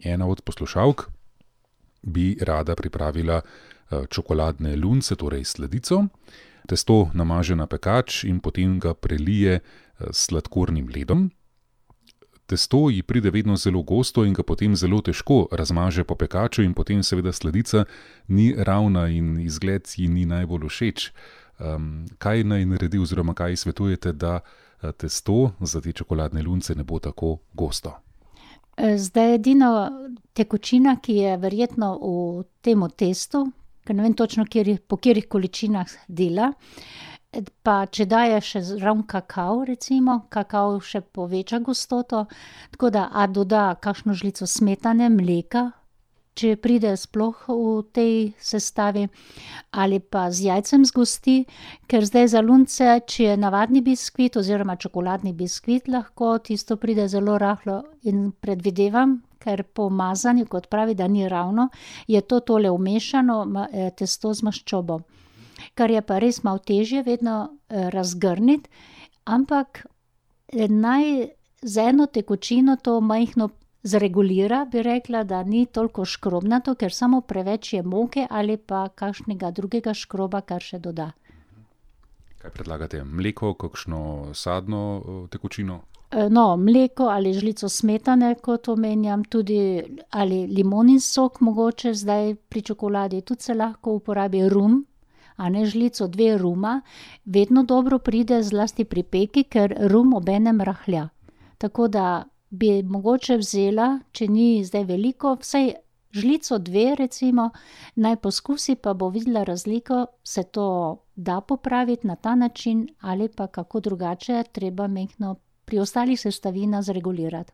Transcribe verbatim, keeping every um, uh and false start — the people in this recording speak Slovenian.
ena od poslušalk bi rada pripravila čokoladne lunce, torej sladico. Testo namaže na pekač in potem ga prelije s sladkornim ledom. Testo ji pride vedno zelo gosto in ga potem zelo težko razmaže po pekaču in potem seveda sladica ni ravna in izgled ji ni najbolj všeč. Um, kaj naj naredi oziroma kaj svetujete, da testo za te čokoladne lunce ne bo tako gosto? Zdaj edino tekočina, ki je verjetno v temu testu, ker ne vem točno, kjer, po katerih količinah dela, pa če daje še zraven kakao, recimo, kakao še poveča gostoto, tako da a doda kakšno žlico smetane, mleka, če pride sploh v tej sestavi, ali pa z jajcem zgosti, ker zdaj za lunce, če je navadni biskvit oziroma čokoladni biskvit, lahko tisto pride zelo rahlo in predvidevam, ker po mazanju, kot pravi, da ni ravno, je to tole vmešano testo z maščobo. Kar je pa res malo težje vedno razgrniti, ampak naj z eno tekočino to majhno zregulira, bi rekla, da ni toliko škrobnato, ker samo preveč je moke ali pa kakšnega drugega škroba, kar še doda. Kaj predlagate? Mleko, kakšno sadno tekočino? No, mleko ali žlico smetane, kot omenjam, tudi ali limonin sok mogoče, zdaj pri čokoladi tudi se lahko uporabi rum, a ne žlico, dve ruma, vedno dobro pride zlasti pri peki, ker rum obenem rahlja. Tako da bi mogoče vzela, če ni zdaj veliko, vsaj žlico dve recimo, naj poskusi, pa bo videla razliko, se to da popraviti na ta način ali pa kako drugače, treba majhno pri ostalih sestavinah zregulirati.